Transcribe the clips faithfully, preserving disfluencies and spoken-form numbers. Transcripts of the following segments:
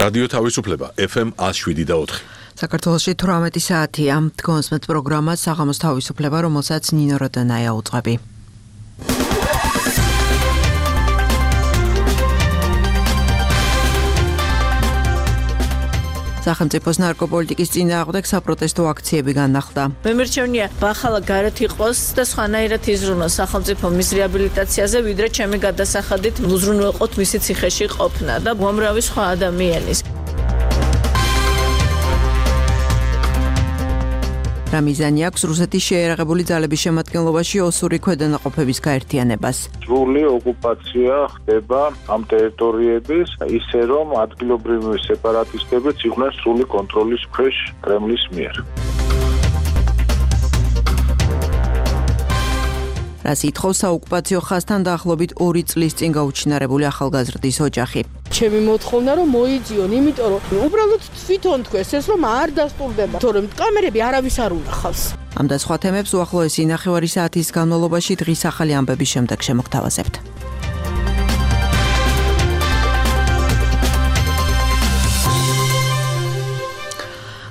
რადიო თავისუფლება ეფ ემ ათს შვიდი და ოთხი. საქართველოში თვრამეტი საათია. დგომსმეთ პროგრამა საღამოს თავისუფლება, რომელსაც ნინო როდანაია უწყები. სახელმწიფოს ნარკოპოლიტიკის წინააღმდეგ საპროტესტო აქციები განახლდა. მე მერჩევნია ბახალა გარეთ იყოს და სხვანაირად იზრუნოს სახელმწიფო მის რეაბილიტაციაზე, ვიდრე ჩემი გადასახადით უზრუნველყოთ მისი ციხეში ყოფნა და უამრავი სხვა ადამიანის. რა მიზანი აქვს რუსეთის შეერაღებული ძალების შემადგენლობაში ოსური ქვედანაყოფების გაერთიანებას? სრული ოკუპაცია ხდება ამ ტერიტორიების, ისე რომ ადგილობრივი სეპარატისტებიც იყვნენ სრული კონტროლის ქვეშ კრემლის მიერ. რას ითხოვს საოკუპაციო ხაზთან დაახლოებით ორი წლის წინ გაუჩინარებული ახალგაზრდის ოჯახი? ჩემი მოთხოვნა რომ მოიძიონ, იმიტომ რომ უბრალოდ თვითონ თქვეს ეს რომ არ დასტურდება, თორემ კამერები არავის არ უნახავს. ამ და სხვა თემებს უახლოესი ნახევარი საათის განმავლობაში დღის ახალი ამბების შემდეგ შემოგთავაზებთ.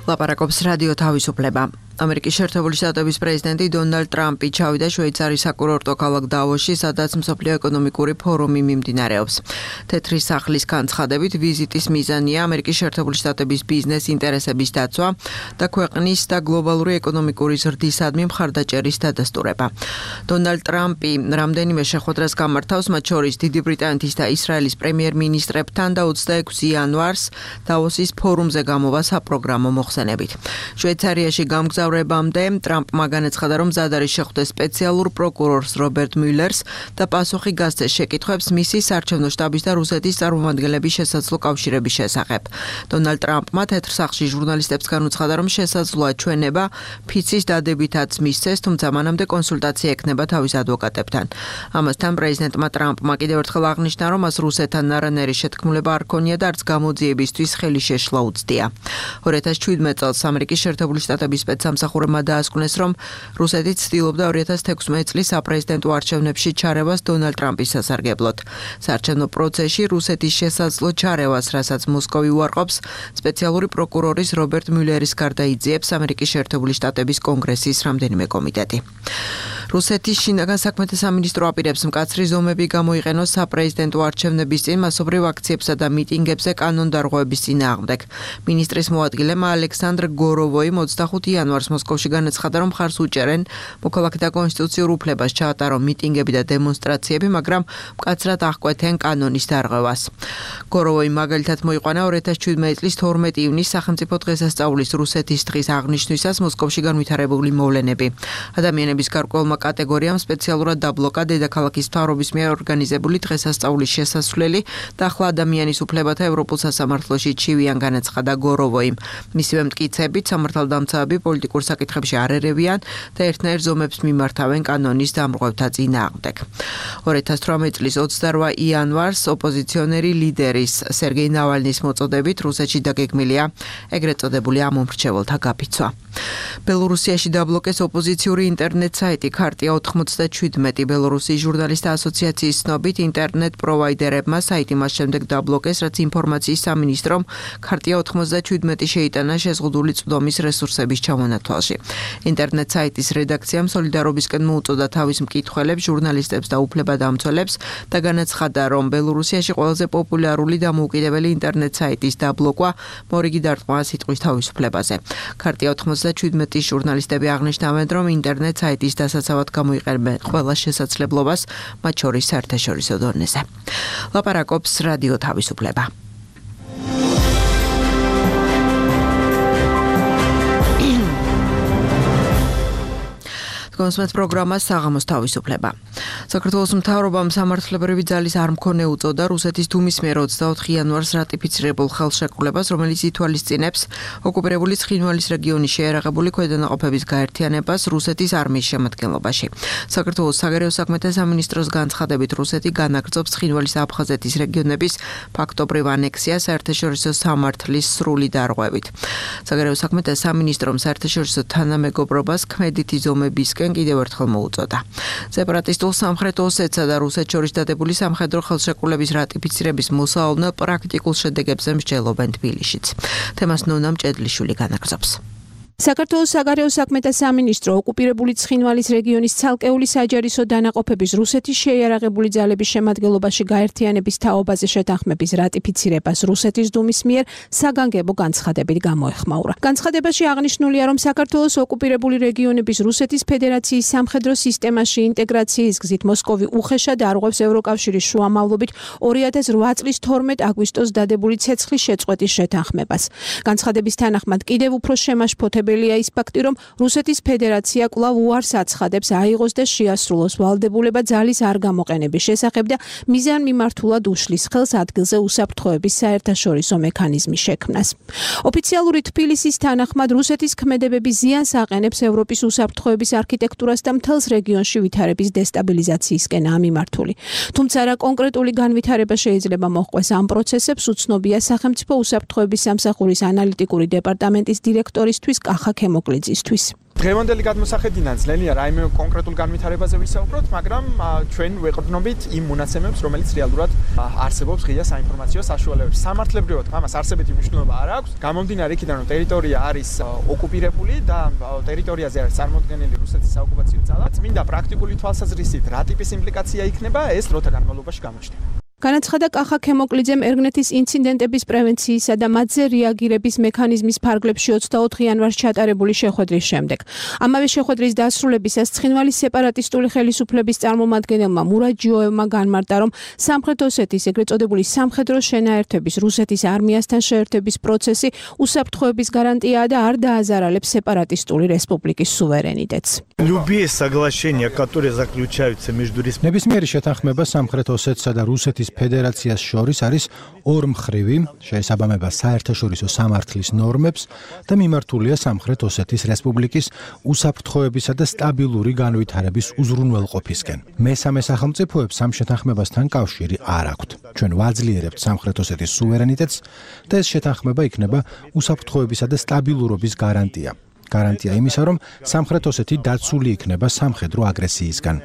ლაპარაკობს რადიო თავისუფლება. ამერიკის შეერთებული შტატების პრეზიდენტი დონალდ ტრამპი ჩავიდა შვეიცარიის საკურორტო ქალაქ დავოსში, სადაც მსოფლიო ეკონომიკური ფორუმი მიმდინარეობს. თეთრი სახლის განცხადებით, ვიზიტის მიზანია ამერიკის შეერთებული შტატების ბიზნეს ინტერესების დაცვა და ქვეყნის და გლობალური ეკონომიკური ზრდისადმი მხარდაჭერის დადასტურება. დონალდ ტრამპი რამდენიმე შეხვედრას გამართავს, მათ შორის დიდი ბრიტანეთის და ისრაელის პრემიერ-მინისტრებთან და ოცდაექვსი იანვარს დავოსის ფორუმზე გამოვა საპროგრამო მოხსენებით. შვეიცარიაში გამგზავრებამდე ტრამპმა განაცხადა, რომ მზად არის შეხვდეს სპეციალურ პროკურორს რობერტ მიულერს და პასუხი გასცეს შეკითხვებს მისი საარჩევნო შტაბის და რუსეთის წარმომადგენლების შესაძლო კავშირების შესახებ. დონალდ ტრამპმა თეთრ სახლში ჟურნალისტებს განუცხადა, რომ შესაძლოა ჩვენება ფიცის დადებითაც მისცეს, თუმცა მანამდე კონსულტაცია ექნება თავის ადვოკატებთან. ამასთან პრეზიდენტმა ტრამპმა კიდევ ერთხელ აღნიშნა, რომ მას რუსეთთან არანაირი შეთქმულება არ ქონია და არც გამოძიებისთვის ხელი შეშლა უცდია. ორი ათას შვიდმეტ წელს ამერიკის შეერთებული შტატების სპეცსამსახურებმა დაასკვნეს, რომ რუსეთი ცდილობდა ორი ათას თექვსმეტ წლის საპრეზიდენტო არჩევნებში ჩარევას დონალდ ტრამპის სასარგებლოდ. საარჩევნო პროცესში რუსეთის შესაძლო ჩარევას, რასაც მოსკოვი უარყოფს, სპეციალური პროკურორის რობერტ მიულერის გარდა იძიებს ამერიკის შეერთებული შტატების კონგრესის რამდენიმე კომიტეტი. რუსეთის შინაგან საქმეთა სამინისტრო აპირებს მკაცრი ზომები გამოიყენოს საპრეზიდენტო არჩევნების წინ მასობრივ აქციებსა და მიტინგებზე კანონდარღვევების წინააღმდეგ. მინისტრის მოადგილემ ალექსანდრ გოროვოიმ ოცდახუთი იანვარს მოსკოვში განაცხადა, რომ მხარს უჭერენ მოქალაქეთა კონსტიტუციურ უფლებას ჩაატარონ მიტინგები და დემონსტრაციები, მაგრამ მკაცრად აღკვეთენ კანონის დარღვევას. გოროვოიმ მაგალითად მოიყვანა ორი ათას შვიდმეტ წლის თორმეტი ივნისს სახელმწიფო დღესასწაულის რუსეთის დღის აღნიშვნისას მოსკოვში განვითარებული მოვლენები. ადამიანების გარკვეულმა კატეგორიამ სპეციალურად დაბლოკა დედაქალაქის მთავრობის მიერ ორგანიზებული დღესასწაულის შესასვლელი და ახლა ადამიანის უფლებათა ევროპულ სასამართლოში ჩივიან, განაცხადა გოროვოიმ. მისივე მტკიცებით სამართალდამცავები პოლიტიკურ საკითხებში არ ერევიან და ერთნაირ ზომებს მიმართავენ კანონის დამრღვევთა წინააღმდეგ. ორი ათას თვრამეტ წლის ოცდარვა იანვარს ოპოზიციონერი ლიდერის სერგეი ნავალნის მოწოდებით რუსეთში დაგეგმილია ეგრეთ წოდებული ამომრჩეველთა გაფიცვა. ბელორუსიაში დაბლოკეს ოპოზიციური ინტერნეტ საიტი ქარტია ოთხმოცდაშვიდმეტი. ბელორუსის ჟურნალისტთა ასოციაციის ცნობით, ინტერნეტ პროვაიდერებმა საიტი მას შემდეგ დაბლოკეს, რაც ინფორმაციის სამინისტრომ ქარტია ოთხმოცდაშვიდმეტი შეიტანა შეზღუდული წვდომის რესურსების ჩამონათვალში. ინტერნეტ საიტის რედაქციამ სოლიდარობისკენ მოუწოდა თავის მკითხველებს, ჟურნალისტებს და უფლებადამცველებს და განაცხადა, რომ ბელორუსიაში ყველაზე პოპულარული და მოუკიდებელი ინტერნეტ საიტის დაბლოკვა მორიგი დარტყმა სიტყვის თავისუფლებაზე. ქარტია ოთხმოცდაშვიდმეტის ჟურნალისტები აღნიშნავენ, რომ ინტერნეტ საიტის დასაცავად გამოიყენებენ ყველა შესაძლებლობას, მათ შორის საერთაშორისო დონეზე. ლაპარაკობს რადიო თავისუფლება. დგომსმეთ პროგრამა საღამოს თავისუფლება. საქართველოს მთავრობამ სამართლებრივი ძალის არ მქონე უწოდა რუსეთის დუმის მიერ ოცდაოთხი იანვარს რატიფიცირებულ ხელშეკრულებას, რომელიც ითვალისწინებს ოკუპირებული ცხინვალის რეგიონის შეერაღებული ქვედანაყოფების გაერთიანებას რუსეთის არმიის შემადგენლობაში. საქართველოს საგარეო საქმეთა სამინისტროს განცხადებით, რუსეთი განაგრძობს ცხინვალის აფხაზეთის რეგიონების ფაქტობრივ ანექსიას საერთაშორისო სამართლის სრული დარღვევით. საგარეო საქმეთა სამინისტრომ საერთაშორისო თანამეგობრობას ქმედითი ზომებისკენ კიდევ ერთხელ მოუწოდა. სეპარატისტულ ნაწილ სამხრეთ ოსეთსა და რუსეთს შორის დადებული სამხედრო ხელშეკრულების რატიფიცირების მოსალოდნელ პრაქტიკულ შედეგებზე მსჯელობენ თბილისშიც. თემას ნონა მჭედლიშვილი განაგრძობს. საქართველოს საგარეო საქმეთა სამინისტრო ოკუპირებული ცხინვალის რეგიონის ცალკეული საჯარისო დანაყოფების რუსეთის შეიარაღებული ძალების შემადგენლობაში გაერთიანების თაობაზე შეთანხმების რატიფიცირებას რუსეთის დუმის მიერ საგანგებო განცხადებით გამოეხმაურა. განცხადებაში აღნიშნულია, რომ საქართველოს ოკუპირებული რეგიონების რუსეთის ფედერაციის სამხედრო სისტემაში ინტეგრაციის გზით მოსკოვი უხეშად არღვევს ევროკავშირის შუამავლობით ორი ათას რვა წლის თორმეტ აგვისტოს დადებული ცეცხლის შეწყვეტის შეთანხმებას. განცხადების თანახმად კიდევ უფრო შემაშფოთებელია ის ფაქტი, რომ რუსეთის ფედერაცია კვლავ უარს აცხადებს აიღოს და შეასრულოს ვალდებულება ძალის არ გამოყენების შესახებ და მიზანმიმართულად უშლის ხელს ადგილზე უსაფრთხოების საერთაშორისო მექანიზმის შექმნას. ოფიციალური თბილისის თანახმად რუსეთის ქმედებები ზიანს აყენებს ევროპის უსაფრთხოების არქიტექტურას და მთელს რეგიონში ვითარების დესტაბილიზაციისკენაა მიმართული. თუმცა რა კონკრეტული განვითარება შეიძლება მოჰყვეს ამ პროცესებს, უცნობია სახელმწიფო უსაფრთხოების სამსახურის ანალიტიკური დეპარტამენტის დირექტორისთვის კახა ქემოკლიძისთვის. დღევანდელი გადმოსახედიდან ძლელია რაიმე კონკრეტულ განვითარებაზე ვისაუბროთ, მაგრამ ჩვენ ვეყრდნობით იმ მონაცემებს, რომელიც რეალურად არსებობს ღია საინფორმაციო საშუალებებში. სამართლებრივად ამას არსებითი მნიშვნელობა არ აქვს. გამომდინარე იქიდან, რომ ტერიტორია არის ოკუპირებული და ტერიტორიაზე არის წარმოდგენილი რუსეთის საოკუპაციო ძალა, წმინდა პრაქტიკული თვალსაზრისით რა ტიპის იმპლიკაცია იქნება, ეს დროთა განმავლობაში გამოჩნდება. განაცხადა კახა ქემოკლიძემ ერგნეთის ინციდენტების პრევენციისა და მათზე რეაგირების მექანიზმის ფარგლებში ოცდაოთხ იანვარს ჩატარებული შეხვედრის შემდეგ. ამავე შეხვედრის დასრულებისას ცხინვალის სეპარატისტული ხელისუფლების წარმომადგენელმა მურად ჯიოევმა განმარტა, რომ სამხრეთ ოსეთის ეგრეთ წოდებული სამხედრო შენაერთების რუსეთის არმიასთან შეერთების პროცესი უსაფრთხოების გარანტიაა და არ დააზარალებს სეპარატისტული რესპუბლიკის სუვერენიტეტს. Любые соглашения, которые заключаются между ნებისმიერი შეთანხმება სამხრეთ ოსეთსა და რუსეთის ფედერაციას შორის არის ორმხრივი, შეესაბამება საერთაშორისო სამართლის ნორმებს და მიმართულია სამხრეთ ოსეთის რესპუბლიკის უსაფრთხოებისა და სტაბილური განვითარების უზრუნველყოფისკენ. მესამე სახელმწიფოებს ამ შეთანხმებასთან კავშირი არ აქვთ. ჩვენ ვაძლიერებთ სამხრეთ ოსეთის სუვერენიტეტს და ეს შეთანხმება იქნება უსაფრთხოებისა და სტაბილურობის გარანტია. გარანტია იმისა, რომ სამხრეთ ოსეთი დაცული იქნება სამხედრო აგრესიისგან.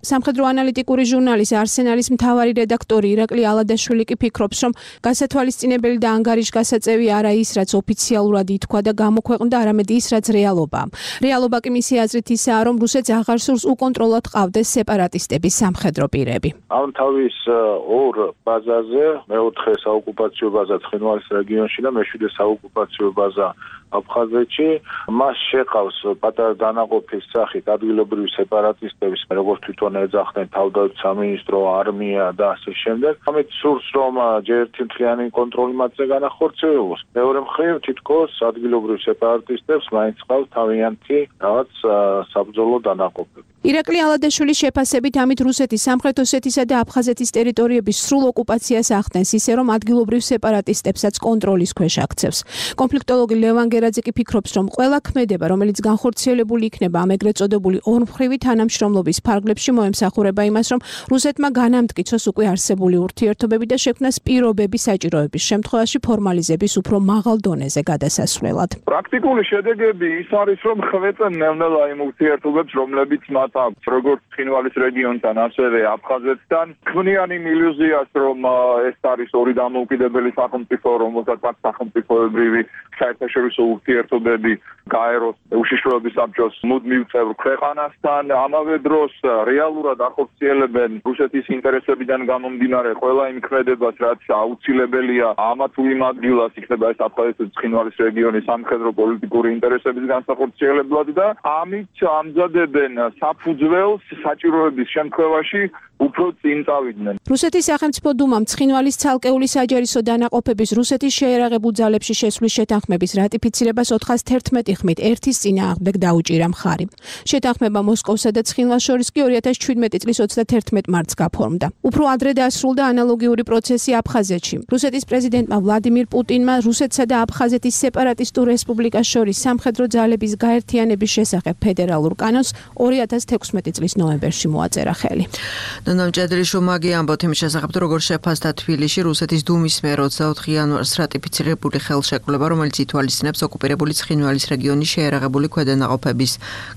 სამხედრო ანალიტიკური ჟურნალის არსენალის მთავარი რედაქტორი ირაკლი ალადაშვილი კი ფიქრობს, რომ გასათვალისწინებელი და ანგარიშგასაწევი არა ის, რაც ოფიციალურად ითქვა და გამოქვეყნდა, არამედ ის, რაც რეალობაა. რეალობა კი მისი აზრით ისაა, რომ რუსეთს აღარ სურს უკონტროლოდ ყავდეს სეპარატისტების სამხედრო პირები. ამ თავის ორ ბაზაზე, მეოთხე საოკუპაციო ბაზა ცხინვალის რეგიონში და მეშვიდე საოკუპაციო ბაზა აფხაზეთში, მას შეყავს პატარა დანაყოფის სახით ადგილობრივი სეპარატისტების, როგორც თვითონ ეძახდნენ თავდაცვის სამინისტრო, არმია და ასე შემდეგ. ამით სურს, რომ ჯერ ერთი მთლიანი კონტროლი მათზე განახორციელოს. მეორე მხრივ, თითქოს ადგილობრივ სეპარატისტებს მაინც ყავს თავიანთი რაღაც საბრძოლო დანაყოფები. ირაკლი ალადაშვილის შეფასებით ამით რუსეთის სამხრეთ ოსეთისა და აფხაზეთის ტერიტორიების სრულ ოკუპაციას ახდენს, ისე რომ ადგილობრივ სეპარატისტებსაც კონტროლის ქვეშ აქცევს. კონფლიქტოლოგი ლევან გერაძე კი ფიქრობს, რომ ყველა ქმედება, რომელიც განხორციელებული იქნება ამ ეგრეთ წოდებული ორმხრივი თანამშრომლობის ფარგლებში, მოემსახურება იმას, რომ რუსეთმა განამტკიცოს უკვე არსებული ურთიერთობები და შექმნას პირობები საჭიროების შემთხვევაში ფორმალიზების უფრო მაღალ დონეზე გადასასვლელად. პრაქტიკული შედეგები ის არის, რომ ხვეწენ ნელ-ნელა იმ ურთიერთობებს, რომლებიც მათ აქვს როგორც ცხინვალის რეგიონთან, ასევე აფხაზეთთან. ქმნიან იმ ილუზიას, რომ ეს არის ორი დამოუკიდებელი სახელმწიფო, რომელსაც აქვს სახელმწიფოებრივი საერთაშორისო ურთიერთობები გაეროს უშიშროების საბჭოს მუდმივ წევრ ქვეყანასთან. ამავე დროს რეალურად ახორციელებენ რუსეთის ინტერესებიდან გამომდინარე ყველა იმ ქმედებას, რაც აუცილებელია ამა თუ იმ ადგილას, იქნება ეს აფხაზეთის ცხინვალის რეგიონის სამხედრო პოლიტიკური ინტერესების განსახორციელებლად და ამით ამზადებენ საფუძველს საჭიროების შემთხვევაში უფრო წინ წავიდნენ. რუსეთის სახელმწიფო დუმამ ცხინვალის ცალკეული საჯარისო დანაყოფების რუსეთის შეიარაღებულ ძალებში შესვლის შეთანხმების რატიფიცირებას ოთხას თერთმეტი ხმით ერთის წინააღმდეგ დაუჭირა მხარი. შეთანხმება მოსკოვსა და ცხინვალს შორის კი ორი ათას ჩვიდმეტი წლის ოცდათერთმეტ მარტს გაფორმდა. უფრო ადრე დასრულდა ანალოგიური პროცესი აფხაზეთში. რუსეთის პრეზიდენტმა ვლადიმირ პუტინმა რუსეთსა და აფხაზეთის სეპარატისტულ რესპუბლიკას შორის სამხედრო ძალების გაერთიანების შესახებ ფედერალურ კანონს ორი ათას თექვსმეტი წლის ნოემბერში მოაწერა ხელი. ნამჭედრიშვილმა ამბობთ იმის შესახებ, როგორ შეფასდა თბილისში რუსეთის დუმის მიერ ოცდაოთხი იანვარს რატიფიცირებული ხელშეკრულება, რომელიც ითვალისწინებს ოკუპირებული ცხინვალის რეგიონის შეიარაღებული ქვედანაყოფების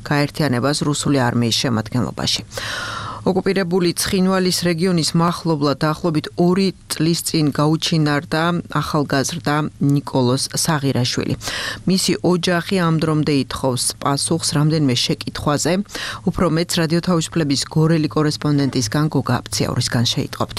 გაერთიანებას რუსული არმიის შემადგენლობაში. ოკუპირებული ცხინვალის რეგიონის მახლობლად დაახლოებით ორი წლის წინ გაუჩინარდა ახალგაზრდა ნიკოლოზ საღირაშვილი. მისი ოჯახი ამ დრომდე ითხოვს პასუხს რამდენიმე შეკითხვაზე. უფრო მეც რადიო თავისუფლების გორელი კორესპონდენტისგან გოგა აფციაურისგან შეიტყობთ.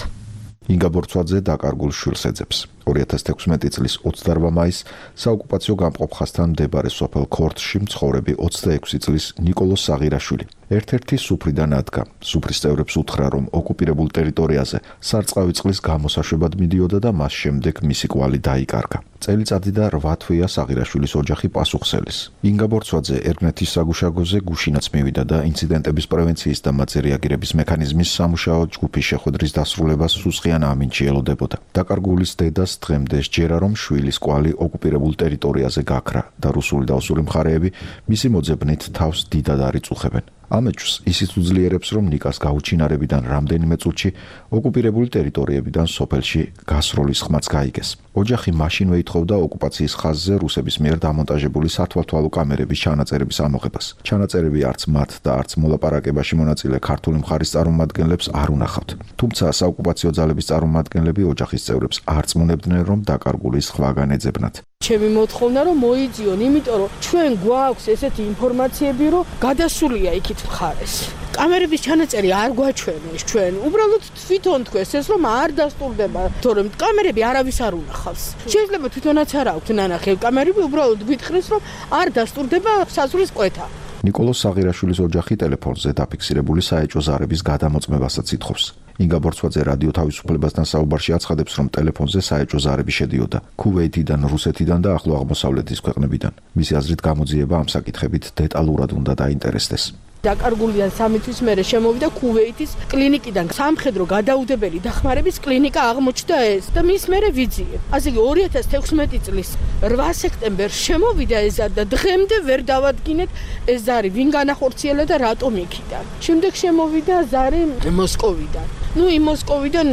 ინგა ბორცვაძე დაკარგულ შვილს ეძებს. ორი ათას თექვსმეტი წლის ოცდაორმა მაისს საოკუპაციო გამყოფ ხაზთან მდებარე სოფელ ქორთში მცხოვრები ოცდაექვსი წლის ნიკოლოზ საღირაშვილი ერთ-ერთი სუფრიდან ადგა. სუფრის წევრებს უთხრა, რომ ოკუპირებულ ტერიტორიაზე სარწყავი წყლის გამოსაშვებად მიდიოდა და მას შემდეგ მისი კვალი დაიკარგა. წელიწადი და რვა თვეა საღირაშვილის ოჯახი პასუხსელის. ინგა ბორცვაძე ერგნეთის საგუშაგოზე გუშინაც მივიდა და ინციდენტების პრევენციის და მათზე რეაგირების მექანიზმის სამუშაო ჯგუფის შეხვედრის დასრულებას სუსხიან ამინჩი ელოდებოდა. დაკარგულის დედას დღემდე სჯერა, რომ შვილის კვალი ოკუპირებულ ტერიტორიაზე გაქრა და რუსული და ოსური მხარეები მისი მოძებნით თავს დიდად არ იწუხებენ. ამეჩვს ისიც უძლიერებს, რომ ნიკას გაუჩინარებიდან რამდენიმე წუთში ოკუპირებული ტერიტორიებიდან სოფელში გასროლის ხმაც გაიგეს. ოჯახი მაშინვე ითხოვდა ოკუპაციის ხაზზე რუსების მიერ დამონტაჟებული სათვალთვალო კამერების ჩანაწერების ამოღებას. ჩანაწერები არც მათ და არც მოლაპარაკებაში მონაწილე ქართული მხარის წარმომადგენლებს არ უნახავთ. თუმცა საოკუპაციო ძალების წარმომადგენლები ოჯახის წევრებს არ წმუნებდნენ, რომ დაკარგული სხვაგან ეძებნათ. ჩემი მოთხოვნა რომ მოიძიონ, იმიტომ რომ ჩვენ გვაქვს ესეთი ინფორმაციები, რომ გადასულია იქით მხარეს. კამერების ჩანაწერი არ გვაჩვენეს ჩვენ. უბრალოდ თვითონ თქვეს ეს რომ არ დასტურდება, თორემ კამერები არავის არ უნახავს. შეიძლება თვითონაც არ აქვს ნანახი კამერები, უბრალოდ გვითხრეს რომ არ დასტურდება საზღვრის კვეთა. ნიკოლოზ საღირაშვილის ოჯახი ტელეფონზე დაფიქსირებული საეჭვო ზარების გადამოწმებასაც ითხოვს. ინგა ბორცვაძე რადიო თავისუფლებასთან საუბარში აცხადებს, რომ ტელეფონზე საეჭვო ზარები შედიოდა ქუვეითიდან, რუსეთიდან და ახლო აღმოსავლეთის ქვეყნებიდან. მისი აზრით, გამოძიება ამ საკითხებით დეტალურად უნდა დაინტერესდეს. დაკარგულიდან სამი თვის მერე შემოვიდა ქუვეითის კლინიკიდან სამხედრო გადაუდებელი დახმარების კლინიკა აღმოჩნდა ეს და მის მერე ვიძიებ. ასე იგი ორი ათას თექვსმეტი წლის რვა სექტემბერს შემოვიდა ეს და დღემდე ვერ დავადგინეთ ეს ზარი ვინ განახორციელა და რატომ იქიდან. შემდეგ შემოვიდა ზარი მოსკოვიდან. ნუ იმ მოსკოვიდან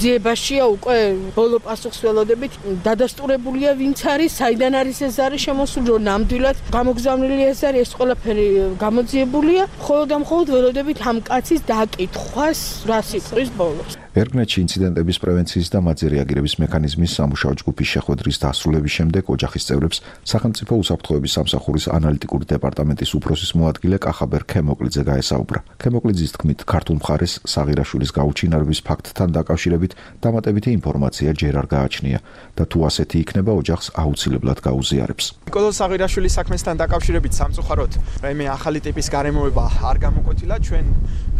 ძიებაშია უკვე ბოლო პასუხს ველოდებით დადასტურებულია ვინც არის, საიდან არის ეს ზარი შემოსული, რომ ნამდვილად გამოგზავნილი ეს არის, ეს ყველაფერი გამოძიებულია. მხოლოდ და მხოლოდ ველოდებით ამ კაცის დაკითხვას რა სიტყვის ბოლოს. ერგნეთში ინციდენტების პრევენციის და მათზე რეაგირების მექანიზმის სამუშაო ჯგუფის შეხვედრის დასრულების შემდეგ ოჯახის წევრებს სახელმწიფო უსაფრთხოების სამსახურის ანალიტიკური დეპარტამენტის უფროსის მოადგილე კახაბერ ქემოკლიძე გაესაუბრა. ქემოკლიძის თქმით, ქართულ მხარეს საღირაშვილის გაუჩინარების ფაქტთან დაკავშირებით დამატებითი ინფორმაცია ჯერ არ გააჩნია და თუ ასეთი იქნება, ოჯახს აუცილებლად გაუზიარებს. ნიკოლოზ საღირაშვილის საქმესთან დაკავშირებით სამწუხაროდ რაიმე ახალი ტიპის გარემოება არ გამოკვეთილა. ჩვენ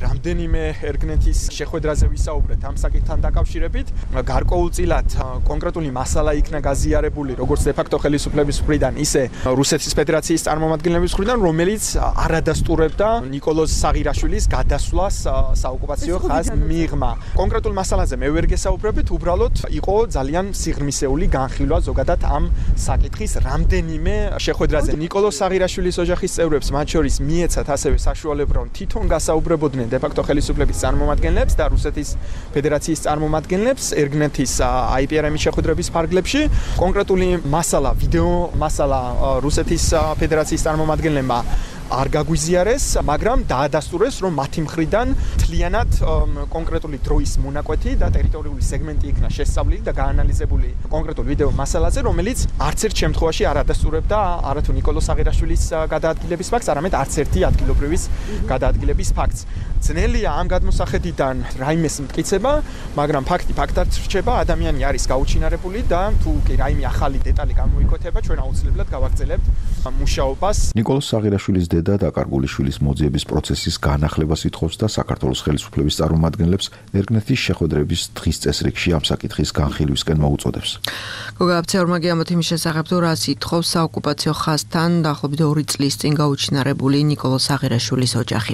რამდენიმე ერგნეთის შეხვედრაზე ვისაუბრეთ ამ საკითხთან დაკავშირებით. გარკვეულწილად კონკრეტული მასალა იქნა გაზიარებული როგორც დე-ფაქტო ხელისუფლების მხრიდან, ისე რუსეთის ფედერაციის წარმომადგენლების მხრიდან, რომელიც არადასტურებდა ნიკოლოზ საღირაშვილის გადასვლას საოკუპაციო ხაზს მიღმა. კონკრეტულ მასალაზე მე ვერ გესაუბრებით, უბრალოდ იყო ძალიან სიღრმისეული განხილვა ზოგადად ამ საკითხის რამდენიმე შეხვედრაზე. ნიკოლოზ საღირაშვილის ოჯახის წევრებს, მათ შორის მიეცათ ასევე საშუალება, რომ თვითონ გასაუბრებოდნენ დე-ფაქტო ხელისუფლების წარმომადგენლებს და რუსეთის ფედერაციის წარმომადგენლებს ერგნეთის აი პი არ ემის შეხვედრების ფარგლებში. კონკრეტული მასალა, ვიდეო მასალა რუსეთის ფედერაციის წარმომადგენლებმა არ გაგვიზიარეს, მაგრამ დაადასტურეს, რომ მათი მხრიდან მთლიანად კონკრეტული დროის მონაკვეთი და ტერიტორიული სეგმენტი იქნა შესწავლილი და გაანალიზებული კონკრეტულ ვიდეო მასალაზე, რომელიც არც ერთ შემთხვევაში არ ადასტურებდა არათუ ნიკოლოზ საღირაშვილის გადაადგილების ფაქტს, არამედ არც ერთი ადგილობრივის გადაადგილების ფაქტს. ძნელია ამ გადმოსახედიდან რაიმეს მტკიცება, მაგრამ ფაქტი ფაქტად რჩება, ადამიანი არის გაუჩინარებული და თუ კი რაიმე ახალი დეტალი გამოიკვეთება, ჩვენ აუცილებლად გავაგრძელებთ მუშაობას. ნიკოლოზ საღირაშვილის და დაკარგული შვილის მოძიების პროცესის განახლებას ითხოვს და საქართველოს ხელისუფლების წარმომადგენლებს ერგნეთის შეხვედრების დღის წესრიგში ამ საკითხის განხილვისკენ მოუწოდებს. გოგა აფციაურმა ამბობთ იმის შესახებ, რომ რას ითხოვს საოკუპაციო ხაზთან დაახლოებით ორი წლის წინ გაუჩინარებული ნიკოლოზ საღირაშვილის ოჯახი.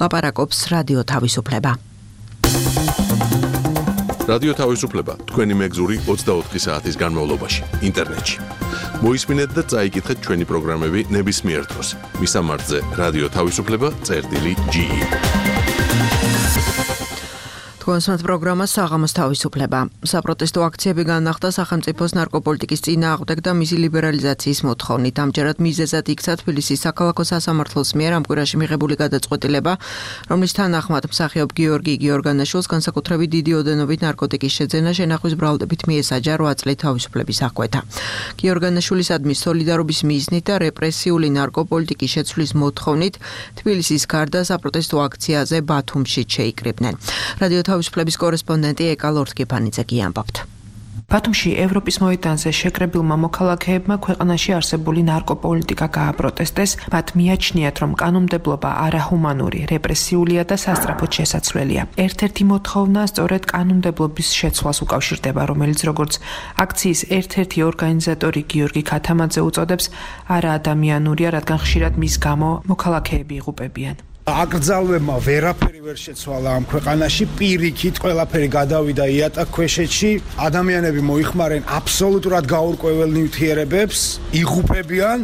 ლაპარაკობს რადიო თავისუფლება. რადიო თავისუფლება თქვენი მეგზური ოცდაოთხი საათის განმავლობაში ინტერნეტში. მოისმინეთ და წაიკითხეთ ჩვენი პროგრამები ნებისმიერ დროს. მისამართზე რადიო თავისუფლება წერტილი ჯი ი. თქვენსმათ პროგრამა საღამოს თავისუფლება. საპროტესტო აქციები განახდა სახელმწიფოს ნარკოპოლიტიკის წინააღმდეგ და მისი ლიბერალიზაციის მოთხოვნით. ამჯერად მიზეზად იქცა თბილისის საქალაქო სასამართლოს მიერ ამ კვირაში მიღებული გადაწყვეტილება, რომლის თანახმად მსახიობ გიორგი გიორგანაშვილს განსაკუთრებით დიდი ოდენობით ნარკოტიკის შეძენა შენახვის ბრალდებით მიესაჯა რვა წლით თავისუფლების აღკვეთა. გიორგანაშვილისადმი სოლიდარობის მიზნით და რეპრესიული ნარკოპოლიტიკის შეცვლის მოთხოვნით თბილისის გარდა საპროტესტო აქციაზე ბათუმში შეიკრიბნენ. რადიო თავისუფლების კორესპონდენტი ეკა ლორთგიფანიძე გიამბობთ. ბათუმში ევროპის მოედანზე შეკრებილმა მოქალაქეებმა ქვეყანაში არსებული ნარკოპოლიტიკა გააპროტესტეს, მათ მიაჩნიათ, რომ კანონმდებლობა არაჰუმანური, რეპრესიულია და სასწრაფოდ შესაცვლელია. ერთ-ერთი მოთხოვნა სწორედ კანონმდებლობის შეცვლას უკავშირდება, რომელიც როგორც აქციის ერთ-ერთი ორგანიზატორი გიორგი ქათამაძე უწოდებს, არაადამიანურია, რადგან ხშირად მის გამო მოქალაქეები იღუპებიან. აკრძალვებმა ვერაფერი ვერ შეცვალა ამ ქვეყანაში, პირიქით ყველაფერი გადავიდა იატაკქვეშეთში, ადამიანები მოიხმარენ აბსოლუტურად გაურკვეველ ნივთიერებებს, იღუპებიან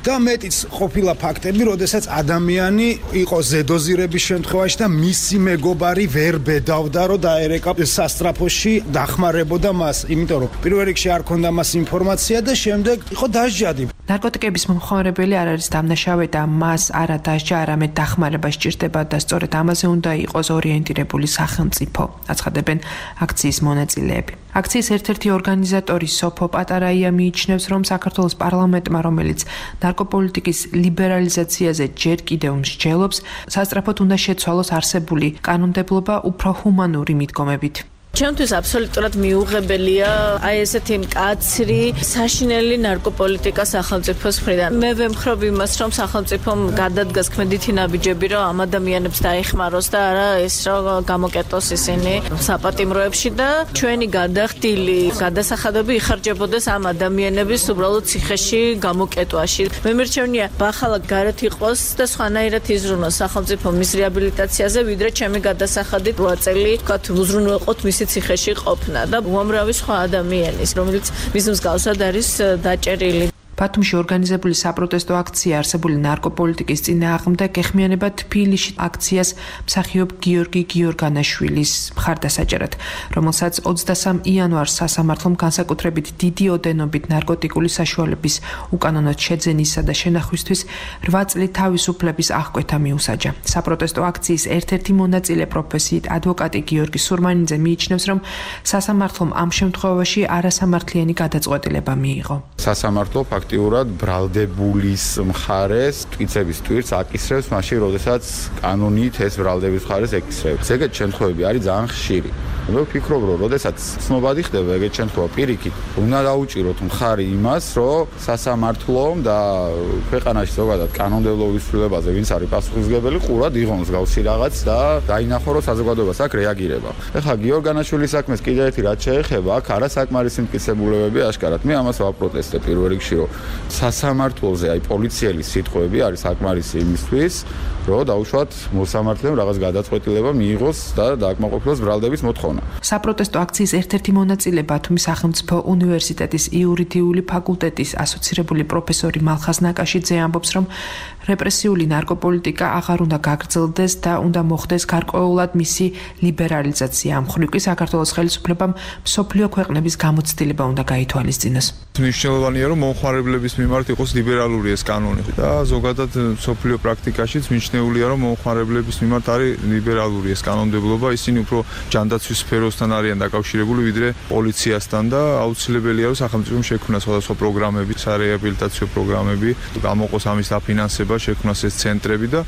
და მეტიც ყოფილა ფაქტები, როდესაც ადამიანი იყო ზედოზირების შემთხვევაში და მისი მეგობარი ვერ ბედავდა, რომ დაერეკა სასტრაფოში, დახმარებოდა მას, იმიტომ რომ პირველ რიგში არ ქონდა მას ინფორმაცია და შემდეგ იყო დასჯადი. ნარკოტიკების მომხმარებელი არ არის დამნაშავე და მას არა დასჯა, არამედ დახმარება სჭირდება და სწორედ ამაზე უნდა იყოს ორიენტირებული სახელმწიფო, აცხადებენ აქციის მონაწილეები. აქციის ერთ-ერთი ორგანიზატორი სოფო პატარაია მიიჩნევს, რომ საქართველოს პარლამენტმა, რომელიც ნარკოპოლიტიკის ლიბერალიზაციაზე ჯერ კიდევ მსჯელობს, სასწრაფოდ უნდა შეცვალოს არსებული კანონმდებლობა უფრო ჰუმანური მიდგომებით. ჩემთვის აბსოლუტურად მიუღებელია აი ესეთი მკაცრი საშინელი ნარკოპოლიტიკა სახელმწიფოს მხრიდან. მე ვემხრობ იმას, რომ სახელმწიფომ გადადგას ქმედითი ნაბიჯები, რომ ამ ადამიანებს დაეხმაროს და არა ეს რომ გამოკეტოს ისინი საპატიმროებში და ჩვენი გადახდილი გადასახადები იხარჯებოდეს ამ ადამიანების უბრალოდ ციხეში გამოკეტვაში. მე მერჩევნია ბახალაკ გარეთ იყოს და სხვანაირად იზრუნოს სახელმწიფო მის რეაბილიტაციაზე, ვიდრე ჩემი გადასახადით რვა წელი ვთქვათ უზრუნველყოთ მისი ციხეში ყოფნა და უამრავი სხვა ადამიანის, რომელიც მის მსგავსად არის დაჭერილი. ბათუმში ორგანიზებული საპროტესტო აქცია არსებული ნარკოპოლიტიკის წინააღმდეგ ეხმიანება თბილისში აქციას მსახიობ გიორგი გიორგანაშვილის მხარდასაჭერად, რომელსაც ოცდასამ იანვარს სასამართლომ განსაკუთრებით დიდი ოდენობით ნარკოტიკული საშუალების უკანონოდ შეძენისა და შენახვისთვის რვა წლით თავისუფლების აღკვეთა მიუსაჯა. საპროტესტო აქციის ერთ-ერთი მონაწილე პროფესიით ადვოკატი გიორგი სურმანიძე მიიჩნევს, რომ სასამართლომ ამ შემთხვევაში არასამართლიანი გადაწყვეტილება მიიღო. სასამართლო აქტიურად ბრალდებულის მხარეს ტვიცების ტვირთს აკისრებს მაშინ, როდესაც კანონით ეს ბრალდების მხარეს ეკისრებს. ეგეთ შემთხვევები არის ძალიან ხშირი. მე ვფიქრობ, რომ როდესაც ცნობადი ხდება ეგეთ შემთხვევა პირიქით, უნდა დაუჭიროთ მხარი იმას, რომ სასამართლომ და ქვეყანაში ზოგადად კანონმდებლობის ცვლილებაზე ვინც არის პასუხისმგებელი, ყურად იღონ მსგავსი რაღაც და დაინახო, რომ საზოგადოებას აქ რეაგირება. ეხლა გიორგანაშვილის საქმეს კიდევ ერთი რაც შეეხება, აქ არასაკმარისი მტკიცებულებები აშკარად. მე ამას ვაპროტესტებ პირველ რიგში, რომ სასამართლოზე აი პოლიციელის სიტყვები არის საკმარისი იმისთვის, რომ დაუშვათ მოსამართლემ რაღაც გადაწყვეტილება მიიღოს და დააკმაყოფილოს ბრალდების მოთხოვნა. საპროტესტო აქციის ერთ-ერთი მონაწილე ბათუმის სახელმწიფო უნივერსიტეტის იურიდიული ფაკულტეტის ასოცირებული პროფესორი მალხაზ ნაკაშიძე ამბობს, რომ რეპრესიული ნარკოპოლიტიკა აღარ უნდა გაგრძელდეს და უნდა მოხდეს გარკვეულად მისი ლიბერალიზაცია. ამ მხრივ კი საქართველოს ხელისუფლებამ მსოფლიო ქვეყნების გამოცდილება უნდა გაითვალისწინოს. მნიშვნელოვანია, რომ მომხმარებლების მიმართ იყოს ლიბერალური ეს კანონი და ზოგადად მსოფლიო პრაქტიკაშიც მნიშვნელოვანია, რომ მომხმარებლების მიმართ არის ლიბერალური ეს კანონმდებლობა, ისინი უფრო ჯანდაცვის სფეროსთან არიან დაკავშირებული, ვიდრე პოლიციასთან და აუცილებელია, რომ სახელმწიფომ შექმნას სხვადასხვა პროგრამები, სარეაბილიტაციო პროგრამები, გამოყოს ამის დაფინანსება, შექმნას ეს ცენტრები და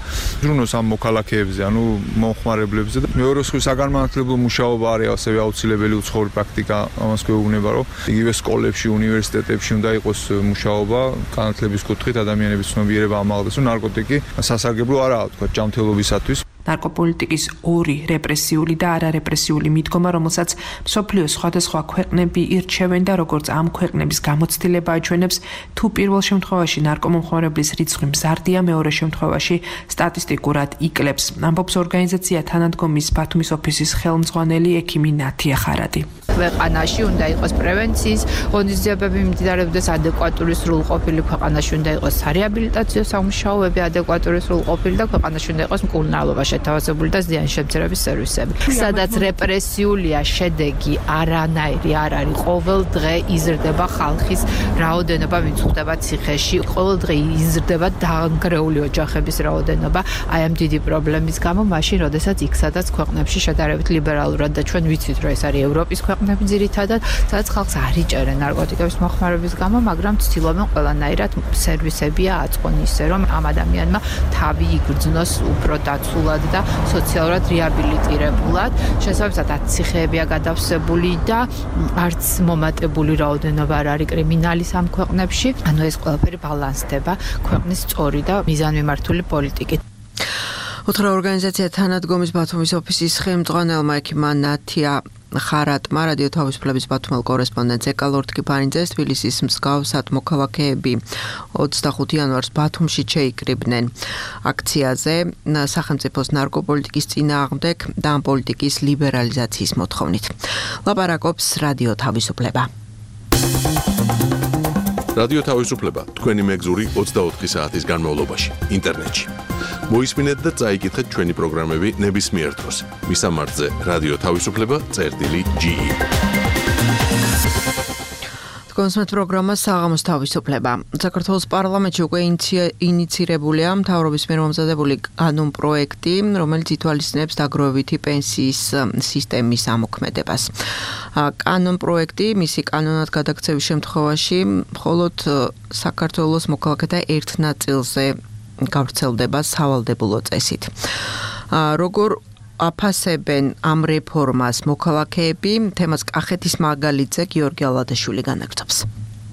ზრუნოს ამ მოქალაქეებზე, ანუ მომხმარებლებზე და მეორე სხვა საგანმანათლებლო მუშაობა არის ასევე აუცილებელი უცხოური პრაქტიკა, ამას გვეუბნება, რომ იგივე სკოლებში, უნივერსიტეტებში უნდა იყოს მუშაობა განათლების კუთხით, ადამიანების ცნობიერება ამაღლდეს, რომ ნარკოტიკი სასარგებლო არაა, თქვა ჯანმრთელობისათვის. ნარკოპოლიტიკის ორი რეპრესიული და არარეპრესიული მიდგომა, რომელსაც მსოფლიოს სხვადასხვა ქვეყნები ირჩევენ და როგორც ამ ქვეყნების გამოცდილება აჩვენებს, თუ პირველ შემთხვევაში ნარკომომხმარებლის რიცხვი მზარდია, მეორე შემთხვევაში სტატისტიკურად იკლებს. ამბობს ორგანიზაცია თანადგომის ბათუმის ოფისის ხელმძღვანელი ექიმი ნათია ხარადი. ქვეყანაში უნდა იყოს პრევენციის ღონისძიებები მიმდინარეობდეს ადეკვატური სრულყოფილი ქვეყანაში უნდა იყოს სარეაბილიტაციო სამუშაოები ადეკვატური სრულყოფილი და ქვეყანაში უნდა იყოს მკურნალობა შეთავაზებული და ზიანშემცირების სერვისები. სადაც რეპრესიულია შედეგი არანაირი არ არის. ყოველ დღე იზრდება ხალხის რაოდენობა, მიწუხდება ციხეში, ყოველ დღე იზრდება დაანგრეული ოჯახების რაოდენობა. აი ამ დიდი პრობლემის გამო მაშინ, როდესაც იქ სადაც ქვეყნებში შედარებით ლიბერალურად და ჩვენ ვიცით, რომ ეს არის ევროპის ქვეყნები ძირითადად, სადაც ხალხს არ იჭერენ ნარკოტიკების მოხმარების გამო, მაგრამ ცდილობენ ყველანაირად სერვისებია აწყონ ისე, რომ ამ ადამიანმა თავი იგრძნოს უფრო დაცულად და სოციალურად რეაბილიტირებულად. შესაბამისად, ციხეებია გადავსებული და არც მომატებული რაოდენობა არ არის კრიმინალის ამ ქვეყნებში. ანუ ეს ყველაფერი ბალანსდება ქვეყნის სწორი და მიზანმიმართული პოლიტიკით. უთხრა ორგანიზაცია თანადგომის ბათუმის ოფისის ხელმძღვანელმა ექიმმა ნათია ხარატმა რადიო თავისუფლების ბათუმელ კორესპონდენტს ეკალორთკი ფანიძეს თბილისის მსგავსად მოქალაქეები ოცდახუთი იანვარს ბათუმში შეიკრიბნენ აქციაზე სახელმწიფოს ნარკოპოლიტიკის წინააღმდეგ და ამ პოლიტიკის ლიბერალიზაციის მოთხოვნით. ლაპარაკობს რადიო თავისუფლება. რადიო თავისუფლება თქვენი მეგზური ოცდაოთხი საათის განმავლობაში ინტერნეტში. მოისმინეთ და წაიკითხეთ ჩვენი პროგრამები ნებისმიერ დროს. მისამართზე რადიო თავისუფლება წერტილი ჯი ი. კონსმეთ პროგრამა საღამოს თავისუფლება. საქართველოს პარლამენტში უკვე ინიცირებულია მთავრობის მიერ მომზადებული კანონ პროექტი, რომელიც ითვალისწინებს დაგროვებითი პენსიის სისტემის ამოქმედებას. კანონ პროექტი მისი კანონად გადაქცევის შემთხვევაში მხოლოდ საქართველოს მოქალაქეთა ერთ ნაწილზე გავრცელდება სავალდებულო წესით. როგორ აფასებენ ამ რეფორმას მოქალაქეები, თემას კახეთის მაგალითზე გიორგი ალადაშვილი განაგრძობს.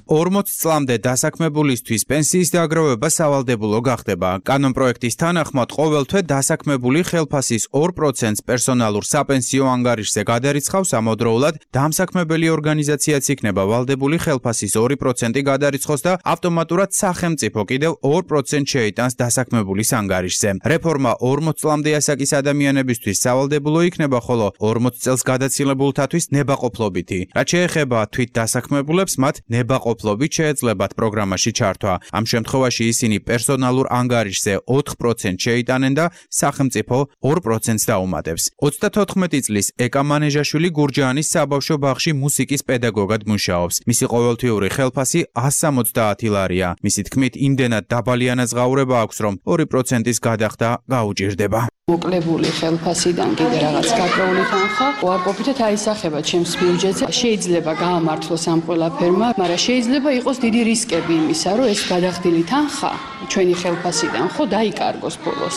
ორმოც წლამდე დასაქმებულისთვის პენსიის დაგროვება სავალდებულო გახდება. კანონ პროექტის თანახმად ყოველთვე დასაქმებული ხელფასის ორ პროცენტს პერსონალურ საპენსიო ანგარიშზე გადარიცხავს ამავდროულად დამსაქმებელი ორგანიზაციაც იქნება ვალდებული ხელფასის ორი პროცენტი გადარიცხოს და ავტომატურად სახელმწიფო კიდევ ორ პროცენტს შეიტანს დასაქმებულის ანგარიშზე. რეფორმა ორმოც წლამდე ასაკის ადამიანებისთვის სავალდებულო იქნება, ხოლო ორმოც წელს გადაცილებულთათვის ნებაყოფლობითი. რაც შეეხება თვით დასაქმებულებს, მათ ნებაყოფლობითი ოფლობით შეეძლებათ პროგრამაში ჩართვა. ამ შემთხვევაში ისინი პერსონალურ ანგარიშზე ოთხ პროცენტს შეიტანენ და სახელმწიფო ორ პროცენტს დაუმატებს. ოცდათოთხმეტი წლის ეკა მანეჟაშვილი გურჯაანის საბავშვო ბაღში მუსიკის პედაგოგად მუშაობს. მისი ყოველთვიური ხელფასი ასი სამოცდაათი ლარია. მისი თქმით, იმდენად დაბალი ანაზღაურება აქვს, რომ ორი პროცენტის გადახდა გაუჭირდება. მოკლებული ხელფასიდან კიდე რაღაც გაკრეული თანხა უარყოფითად აისახება ჩემს ბიუჯეტზე. შეიძლება გაამართლოს ამ ყველაფერმა, მაგრამ შეიძლება იყოს დიდი რისკები იმისა, რომ ეს გადახდილი თანხა ჩვენი ხელფასიდან ხო დაიკარგოს ბოლოს.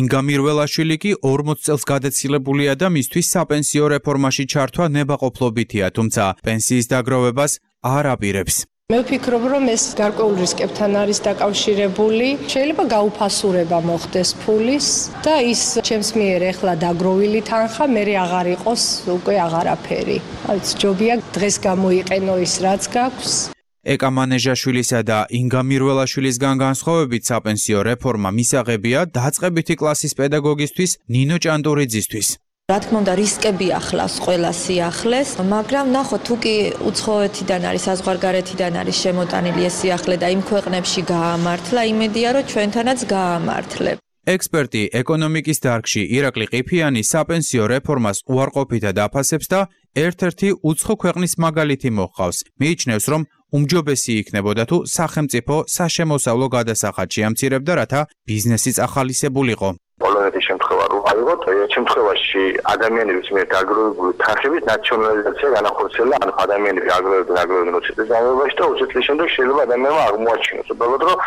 ინგა მირველაშვილი კი ორმოც წელს გადაცილებულია და მისთვის საპენსიო რეფორმაში ჩართვა ნებაყოფლობითია, თუმცა პენსიის დაგროვებას არ აპირებს. მე ვფიქრობ, რომ ეს გარკვეულ რისკებთან არის დაკავშირებული. შეიძლება გაუფასურება მოხდეს ფულის და ის ჩემს მიერ ეხლა დაგროვილი თანხა მერე აღარ იყოს უკვე აღარაფერი. აი, ჯობია დღეს გამოიყენო ის, რაც გაქვს. ეკა მანეჟაშვილისა და ინგა მირველაშვილისგან განსხვავებით საპენსიო რეფორმა მისაღებია დაწყებითი კლასის პედაგოგისთვის ნინო ჭანტურიძისთვის. რა თქმა უნდა, რისკები ახლავს ყველა სიახლეს, მაგრამ ნახოთ, თუ კი უცხოეთიდან არის, საზღვარგარეთიდან არის შემოტანილი ეს სიახლე და იმ ქვეყნებში გაამართლა, იმედია, რომ ჩვენთანაც გაამართლებ. ექსპერტი ეკონომიკის დარგში ირაკლი ყიფიანი საპენსიო რეფორმას უარყოფითად აფასებს და ერთ-ერთი უცხო ქვეყნის მაგალითი მოჰყავს. მიიჩნევს, რომ უმჯობესი იქნებოდა თუ სახელმწიფო საშემოსავლო გადასახადს შეამცირებდა, რათა ბიზნესიც ახალისებულიყო. პოლონეთის შემთხვევა რო ავიღოთ, ერთ შემთხვევაში ადამიანების მიერ დაგროვებული თანხების ნაციონალიზაცია განახორციელა, ანუ ადამიანები აგროვებდნენ აგროვებდნენ ოცი წლის განმავლობაში და ოცი წლის შემდეგ შეიძლება ადამიანმა აღმოაჩინოს, უბრალოდ რომ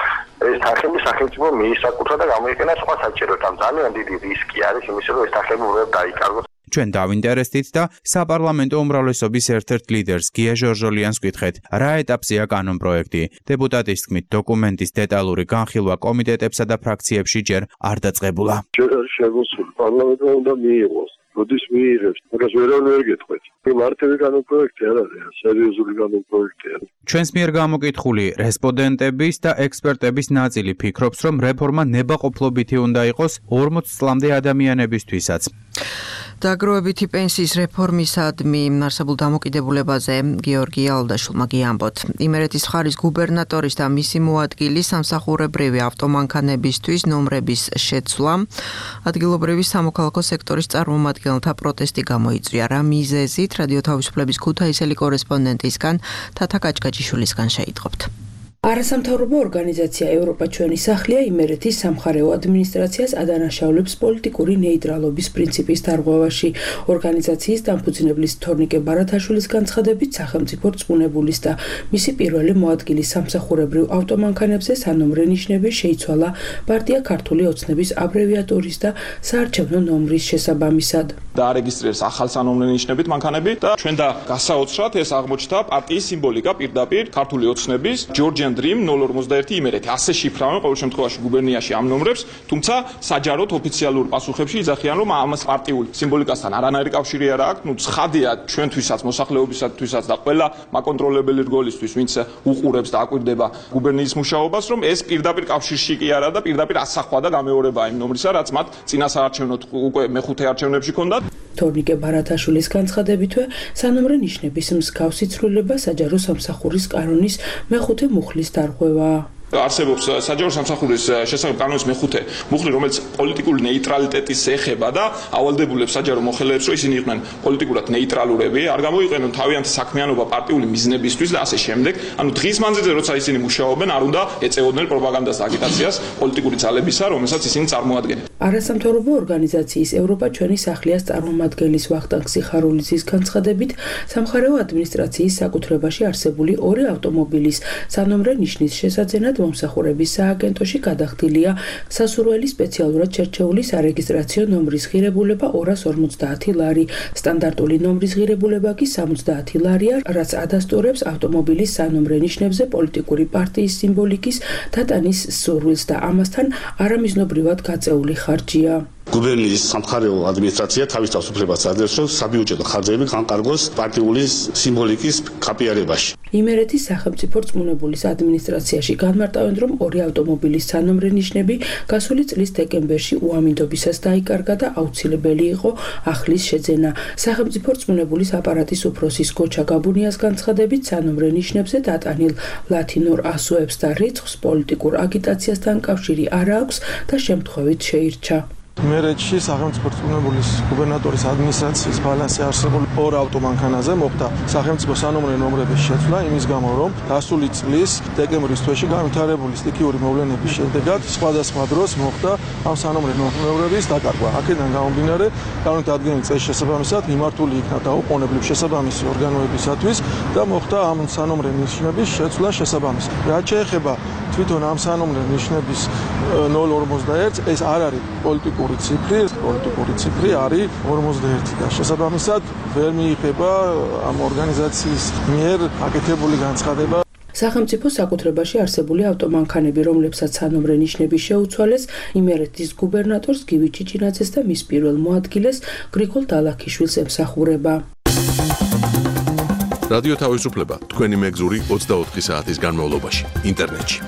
ეს თანხები სახელმწიფო მიისაკუთრა და გამოიყენა სხვა საჭიროდ. ამ ძალიან დიდი რისკი არის იმისა, რომ ეს თანხები უბრალოდ დაიკარგოს. ჩვენ დავინტერესდით და საპარლამენტო უმრავლესობის ერთ-ერთ ლიდერს გია ჟორჟოლიანს ვკითხეთ, რა ეტაპზეა კანონ პროექტი. დეპუტატის თქმით, დოკუმენტის დეტალური განხილვა კომიტეტებსა და ფრაქციებში ჯერ არ დაწყებულა. ჯერ არ შეგოსული პარლამენტმა უნდა მიიღოს. როდის მიიღებს, მაგას ვერავინ ვერ გეტყვით. მარტივი კანონ პროექტი არ არის, სერიოზული კანონ პროექტი არის. ჩვენს მიერ გამოკითხული რესპონდენტების და ექსპერტების ნაწილი ფიქრობს, რომ რეფორმა ნებაყოფლობითი უნდა იყოს ორმოც წლამდე ადამიანებისთვისაც. დაგროვებითი პენსიის რეფორმისადმი არსებულ დამოკიდებულებაზე გიორგი ალდაშულმა გიამბოთ. იმერეთის მხარის გუბერნატორის და მისი მოადგილის სამსახურებრივი ავტომანქანებისთვის ნომრების შეცვლა ადგილობრივი სამოქალაქო სექტორის წარმომადგენელთა პროტესტი გამოიწვია. რა მიზეზით რადიო თავისუფლების ქუთაისელი კორესპონდენტისგან თათა კაჭკაჭიშვილისგან შეიტყობთ. არასამთავრობო ორგანიზაცია ევროპა ჩვენი სახლია იმერეთის სამხარეო ადმინისტრაციას ადანაშაულებს პოლიტიკური ნეიტრალობის პრინციპის დარღვევაში. ორგანიზაციის დამფუძნებლის თორნიკე ბარათაშვილის განცხადებით სახელმწიფო რწმუნებულის და მისი პირველი მოადგილის სამსახურებრივ ავტომანქანებზე სანომრე ნიშნების შეიცვალა პარტია ქართული ოცნების აბრევიატურის და საარჩევნო ნომრის შესაბამისად. დაარეგისტრირეს ახალ სანომრე ნიშნებით მანქანები და ჩვენ და გასაოცრად ეს აღმოჩნდა პარტიის სიმბოლიკა პირდაპირ ქართული ოცნების ჯორჯიან Dream ნულ ორმოცდაერთი იმერეთი ასე შიფრავენ ყოველ შემთხვევაში გუბერნიაში ამ ნომრებს, თუმცა საჯაროდ ოფიციალურ პასუხებში იძახიან, რომ ამას პარტიულ სიმბოლიკასთან არანაირი კავშირი არ აქვს. ნუ ცხადია ჩვენთვისაც, მოსახლეობისათვისაც და ყველა მაკონტროლებელი რგოლისთვის, ვინც უყურებს და აკვირდება გუბერნიის მუშაობას, რომ ეს პირდაპირ კავშირში კი არა და პირდაპირ ასახვა და გამეორება იმ ნომრისა, რაც მათ წინა საარჩევნო უკვე მეხუთე არჩევნებში ჰქონდათ. თორნიკე ბარათაშვილის განცხადებითვე სანომრე ნიშნების მსგავსი ცვლილება საჯარო სამსახურის კანონის მეხუთე მუხლის დარღვევა. არსებობს საჯარო სამსახურის შესახებ კანონის მეხუთე მუხლი, რომელიც პოლიტიკურ ნეიტრალიტეტის ეხება და ავალდებულებს საჯარო მოხელეებს, რომ ისინი იყვნენ პოლიტიკურად ნეიტრალურები, არ გამოიყენონ თავიანთი საქმიანობა პარტიული მიზნებისთვის და ასე შემდეგ. ანუ დღის მანძილზე, როცა ისინი მუშაობენ, არ უნდა ეწეოდნენ პროპაგანდას და აგიტაციას პოლიტიკური ძალებისა, რომელსაც ისინი წარმოადგენენ. არასამთავრობო ორგანიზაციის ევროპა ჩვენი სახლიას წარმომადგენლის ვახტანგ სიხარულიძის განცხადებით, სამხარეო ადმინისტრაციის საკუთრებაში არსებული ორი ავტომობილის სანომრე ნიშნის შესაძენად მომსახურების სააგენტოში გადახდილია სასურველი სპეციალურად შერჩეული სარეგისტრაციო ნომრის ღირებულება ორას ორმოცდაათი ლარი. სტანდარტული ნომრის ღირებულება კი სამოცდაათი ლარია, რაც ადასტურებს ავტომობილის სანომრე ნიშნებზე პოლიტიკური პარტიის სიმბოლიკის დატანის სურვილს და ამასთან არამიზნობრივად გაწეული ხარჯია. გუბერნიის სამხარეო ადმინისტრაცია თავის თავისუფლებას აძლევს, რომ საბიუჯეტო ხარჯები განკარგოს პარტიული სიმბოლიკის კაპიარებაში. იმერეთის სახელმწიფო რწმუნებულის ადმინისტრაციაში განმარტავენ, რომ ორი ავტომობილის სანომრე ნიშნები გასული წლის დეკემბერში უამინდობისას დაიკარგა და აუცილებელი იყო ახლის შეძენა. სახელმწიფო რწმუნებულის აპარატის უფროსის გოჩა გაბუნიას განცხადებით, სანომრე ნიშნებზე დატანილ ლათინურ ასოებს და რიცხვს პოლიტიკურ აგიტაციასთან კავშირი არ აქვს და შემთხვევით შეირჩა. იმერეთში სახელმწიფო რწმუნებულის გუბერნატორის ადმინისტრაციის ბალანსი არსებულ ორ ავტომანქანაზე მოხდა სახელმწიფო სანომრე ნომრების შეცვლა იმის გამო, რომ გასული წლის დეკემბრის თვეში განვითარებული სტიქიური მოვლენების შედეგად სხვადასხვა დროს მოხდა ამ სანომრე ნომრების დაკარგვა. აქედან გამომდინარე, განვითარებული წესის შესაბამისად მიმართული იქნა დაუყოვნებლივ შესაბამისი ორგანოებისათვის და მოხდა ამ სანომრე ნიშნების შეცვლა შესაბამისად. რაც შეეხება თვითონ ამ სანომრე ნიშნების ნულ ორმოცდაერთს, ეს არ არის პოლიტიკური ციფრი, პოლიტიკური ციფრი არის ორმოცდაერთი და შესაბამისად ვერ მიიღება ამ ორგანიზაციის მიერ აკეთებული განცხადება. სახელმწიფო საკუთრებაში არსებული ავტომანქანები, რომლებსაც სანომრე ნიშნები შეუცვალეს, იმერეთის გუბერნატორს გივი ჩიჩინაძეს და მის პირველ მოადგილეს გრიგოლ დალაქიშვილს ემსახურება. რადიო თავისუფლება თქვენი მეგზური ოცდაოთხი საათის განმავლობაში ინტერნეტში.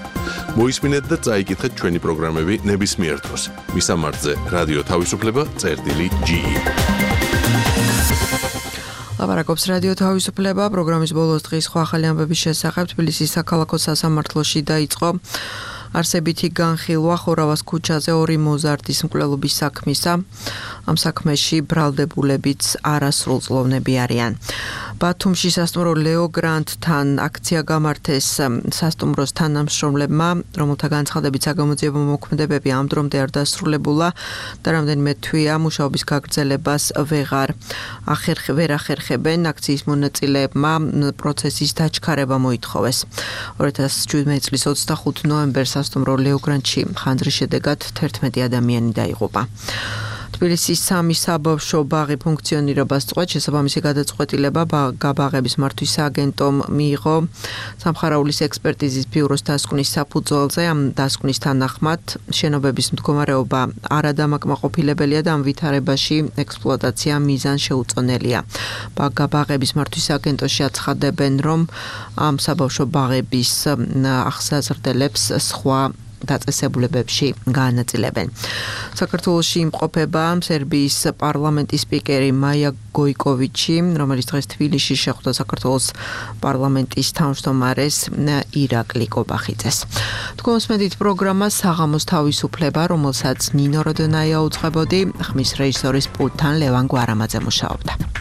მოისმინეთ და წაიკითხეთ ჩვენი პროგრამები ნებისმიერ დროს. მისამართზე რადიო თავისუფლება წერტილი ჯი. ლაპარაკობს რადიო თავისუფლება პროგრამის ბოლოს დღის სხვა ახალი ამბების შესახებ თბილისის საქალაქო სასამართლოში დაიწყო არსებითი განხილვა ხორავას ქუჩაზე ორი მოზარდის მკვლელობის საქმისა. ამ საქმეში ბრალდებულებიც არასრულწლოვნები არიან. ბათუმში სასტუმრო ლეო გრანდთან აქცია გამართეს სასტუმროს თანამშრომლებმა, რომელთა განცხადებით საგამოძიებო მოქმედებები ამ დრომდე არ დასრულებულა და რამდენიმე თვეა მუშაობის გაგრძელებას ვეღარ ახერხ ვერ ახერხებენ. აქციის მონაწილეებმა პროცესის დაჩქარება მოითხოვეს. ორი ათას შვიდმეტი წლის ოცდახუთი ნოემბერს სასტუმრო ლეო გრანდში ხანძრის შედეგად თერთმეტი ადამიანი დაიღუპა. თბილისის სამი საბავშვო ბაღი ფუნქციონირებას წყვეტ შესაბამისი გადაწყვეტილება გაბაღების მართვის სააგენტომ მიიღო სამხარაულის ექსპერტიზის ბიუროს დასკვნის საფუძველზე. ამ დასკვნის თანახმად შენობების მდგომარეობა არადამაკმაყოფილებელია და ამ ვითარებაში ექსპლუატაცია მიზან შეუწონელია. გაბაღების მართვის სააგენტოში აცხადებენ, რომ ამ საბავშვო ბაღების აღსაზრდელებს სხვა დაწესებულებებში გაანაწილებენ. საქართველოში იმყოფება სერბიის პარლამენტის სპიკერი მაია გოიკოვიჩი, რომელიც დღეს თბილისში შეხვდა საქართველოს პარლამენტის თავმჯდომარეს ირაკლი კობახიძეს. თქვენს მედით პროგრამა საღამოს თავისუფლება, რომელსაც ნინო როდონაია უძღვებოდი, ხმის რეჟისორის პულტთან ლევან გვარამაძე მუშაობდა.